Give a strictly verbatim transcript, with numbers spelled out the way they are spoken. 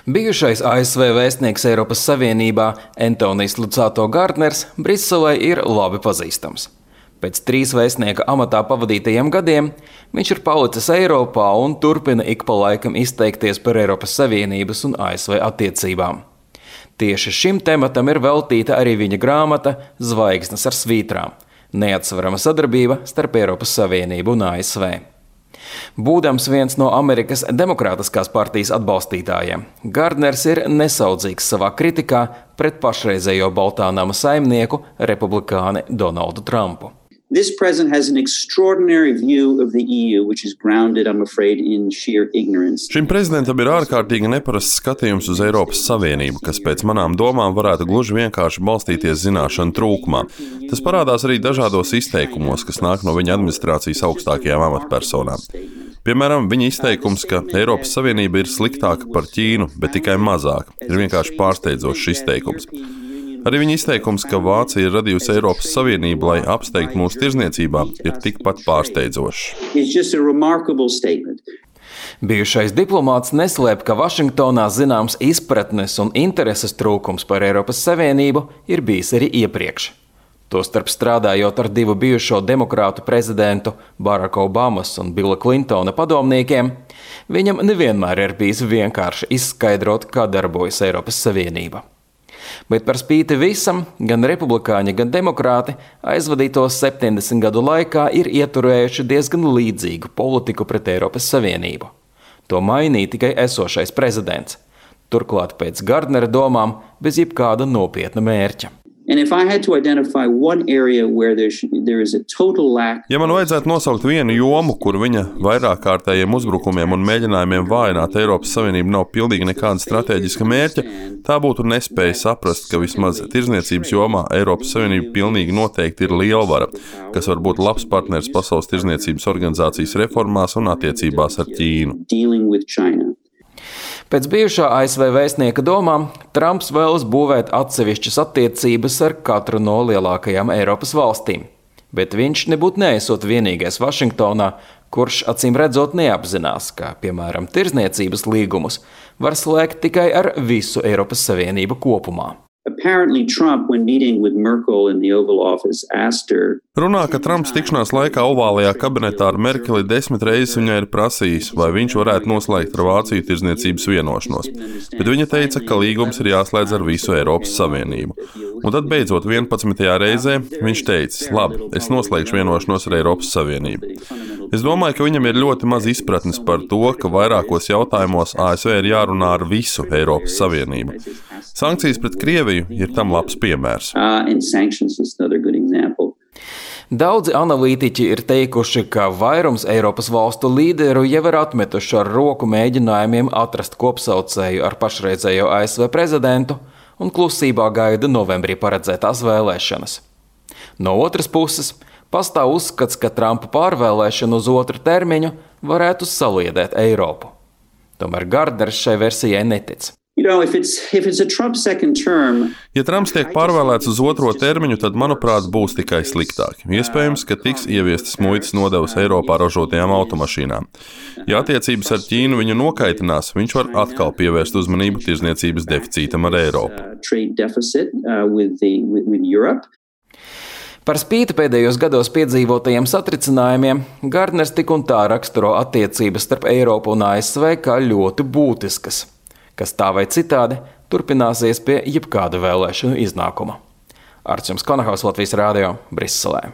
Bijušais A S V vēstnieks Eiropas Savienībā Antonijs Lucato Gardners Briselē ir labi pazīstams. Pēc trīs vēstnieka amatā pavadītajiem gadiem viņš ir palicis Eiropā un turpina ik pa laikam izteikties par Eiropas Savienības un A S V attiecībām. Tieši šim tematam ir veltīta arī viņa grāmata Zvaigznes ar svītrām – neatsverama sadarbība starp Eiropas Savienību un A S V. Būdams viens no Amerikas Demokrātiskās partijas atbalstītājiem, Gardners ir nesaudzīgs savā kritikā pret pašreizējo Baltā nama saimnieku republikāni Donaldu Trumpu. This president has an extraordinary view of the E U, which is grounded, I'm afraid, in sheer ignorance. Šim prezidentam ir ārkārtīgi neparasts skatījums uz Eiropas Savienību, kas pēc manām domām varētu gluži vienkārši balstīties zināšanu trūkumā. Tas parādās arī dažādos izteikumos, kas nāk no viņa administrācijas augstākajām amatpersonām. Piemēram, viņa izteikums, ka Eiropas Savienība ir sliktāka par Ķīnu, bet tikai mazāk, ir vienkārši pārsteidzošs izteikums. Arī viņa izteikums, ka Vācija ir radījusi Eiropas Savienību, lai apsteigtu mūsu tirzniecībā, ir tikpat pārsteidzošs. Bijušais diplomāts neslēp, ka Vašingtonā zināms izpratnes un intereses trūkums par Eiropas Savienību ir bijis arī iepriekš. Tostarp strādājot ar divu bijušo demokrātu prezidentu Baracka Obamas un Billa Clintona padomniekiem, viņam nevienmēr ir bijis vienkārši izskaidrot, kā darbojas Eiropas Savienība. Bet par spīti visam, gan republikāņi, gan demokrāti aizvadītos septiņdesmit gadu laikā ir ieturējuši diezgan līdzīgu politiku pret Eiropas Savienību. To mainīja tikai esošais prezidents. Turklāt pēc Gardnera domām bez jebkāda nopietna mērķa. Ja man vajadzētu nosaukt vienu jomu, kur viņa vairāk kārtējiem uzbrukumiem un mēģinājumiem vājināt Eiropas Savienību nav pilnīgi nekāda stratēģiska mērķa, tā būtu nespēja saprast, ka vismaz tirzniecības jomā Eiropas Savienība pilnīgi noteikti ir lielvara, kas var būt labs partners Pasaules tirzniecības organizācijas reformās un attiecībās ar Ķīnu. Pēc bijušā A S V vēstnieka domām, Trumps vēlas būvēt atsevišķas attiecības ar katru no lielākajām Eiropas valstīm. Bet viņš nebūtu neesot vienīgais Vašingtonā, kurš acīm redzot neapzinās, ka, piemēram, tirzniecības līgumus var slēgt tikai ar visu Eiropas Savienību kopumā. Runā, ka Trumps tikšanās laikā ovālajā kabinetā ar Merkeli desmit reizes viņai ir prasījis, vai viņš varētu noslēgt ar Vāciju tirzniecības vienošanos. Bet viņa teica, ka līgums ir jāslēdz ar visu Eiropas Savienību. Un tad beidzot vienpadsmitajā reizē viņš teica, labi, es noslēgšu vienošanos ar Eiropas Savienību. Es domāju, ka viņam ir ļoti maz izpratnes par to, ka vairākos jautājumos A S V ir jārunā ar visu Eiropas Savienību. Sankcijas pret Krieviju ir tam labs piemērs. Daudzi analītiķi ir teikuši, ka vairums Eiropas valstu līderu jau ir atmetuši ar roku mēģinājumiem atrast kopsaucēju ar pašreizējo A S V prezidentu un klusībā gaida novembrī paredzētās vēlēšanas. No otras puses, pastāv uzskats, ka Trumpa pārvēlēšana uz otru termiņu varētu saliedēt Eiropu. Tomēr Gardners šai versijai netic. You know, if it's, if it's a Trump second term, ja Trumps tiek pārvēlēts uz otro termiņu, tad, manuprāt, būs tikai sliktāk. Iespējams, ka tiks ieviestas muitas nodevas Eiropā ražotajām automašīnām. Ja attiecības ar Ķīnu viņu nokaitinās, viņš var atkal pievērst uzmanību tirzniecības deficītam ar Eiropu. Par spīti pēdējos gados piedzīvotajiem satricinājumiem, Gardners tik un tā raksturo attiecības starp Eiropu un A S V kā ļoti būtiskas, kas tā vai citādi turpināsies pie jebkāda vēlēšanu iznākuma. Arčuns Konahaus, Latvijas Rādio, Briselē.